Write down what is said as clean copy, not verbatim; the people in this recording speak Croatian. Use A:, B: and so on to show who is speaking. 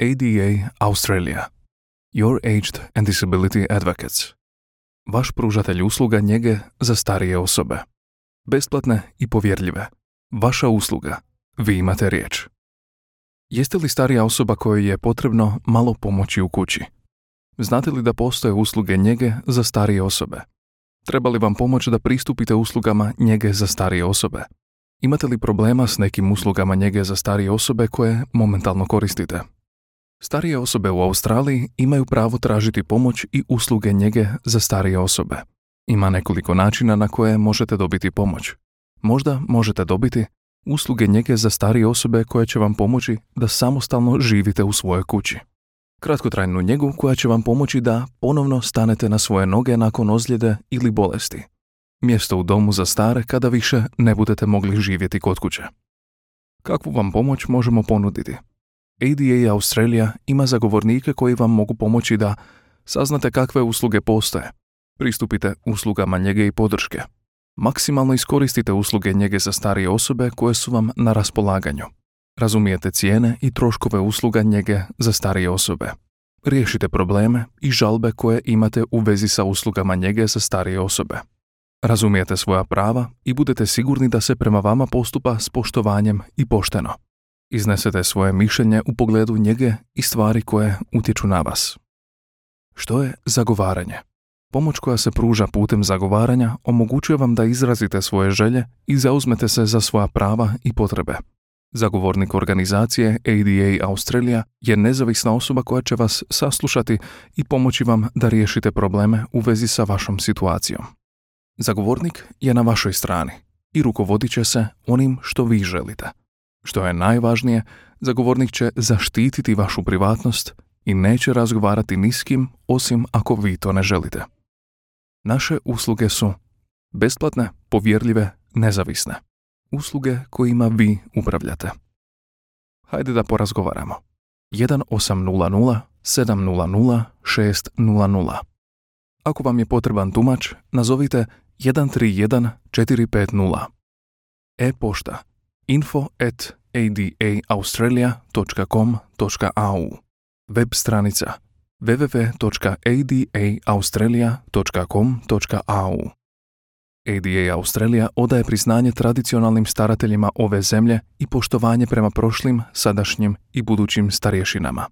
A: ADA Australia. Your Aged and Disability Advocates. Vaš pružatelj usluga njege za starije osobe. Besplatne i povjerljive. Vaša usluga. Vi imate riječ. Jeste li starija osoba kojoj je potrebno malo pomoći u kući? Znate li da postoje usluge njege za starije osobe? Treba li vam pomoć da pristupite uslugama njege za starije osobe? Imate li problema s nekim uslugama njege za starije osobe koje momentalno koristite? Starije osobe u Australiji imaju pravo tražiti pomoć i usluge njege za starije osobe. Ima nekoliko načina na koje možete dobiti pomoć. Možda možete dobiti usluge njege za starije osobe koje će vam pomoći da samostalno živite u svojoj kući. Kratkotrajnu njegu koja će vam pomoći da ponovno stanete na svoje noge nakon ozljede ili bolesti. Mjesto u domu za stare kada više ne budete mogli živjeti kod kuće. Kakvu vam pomoć možemo ponuditi? ADA Australia ima zagovornike koji vam mogu pomoći da saznate kakve usluge postoje. Pristupite uslugama njege i podrške. Maksimalno iskoristite usluge njege za starije osobe koje su vam na raspolaganju. Razumijete cijene i troškove usluga njege za starije osobe. Riješite probleme i žalbe koje imate u vezi sa uslugama njege za starije osobe. Razumijete svoja prava i budete sigurni da se prema vama postupa s poštovanjem i pošteno. Iznesete svoje mišljenje u pogledu njege i stvari koje utječu na vas. Što je zagovaranje? Pomoć koja se pruža putem zagovaranja omogućuje vam da izrazite svoje želje i zauzmete se za svoja prava i potrebe. Zagovornik organizacije ADA Australia je nezavisna osoba koja će vas saslušati i pomoći vam da riješite probleme u vezi sa vašom situacijom. Zagovornik je na vašoj strani i rukovodit će se onim što vi želite. Što je najvažnije, zagovornik će zaštititi vašu privatnost i neće razgovarati ni s kim osim ako vi to ne želite. Naše usluge su besplatne, povjerljive, nezavisne. Usluge kojima vi upravljate. Hajde da porazgovaramo. 1800 700 600. Ako vam je potreban tumač, nazovite 131 450. E-pošta info@adaaustralia.com.au. Web stranica www.adaaustralia.com.au. ADA Australia odaje priznanje tradicionalnim starateljima ove zemlje i poštovanje prema prošlim, sadašnjim i budućim starješinama.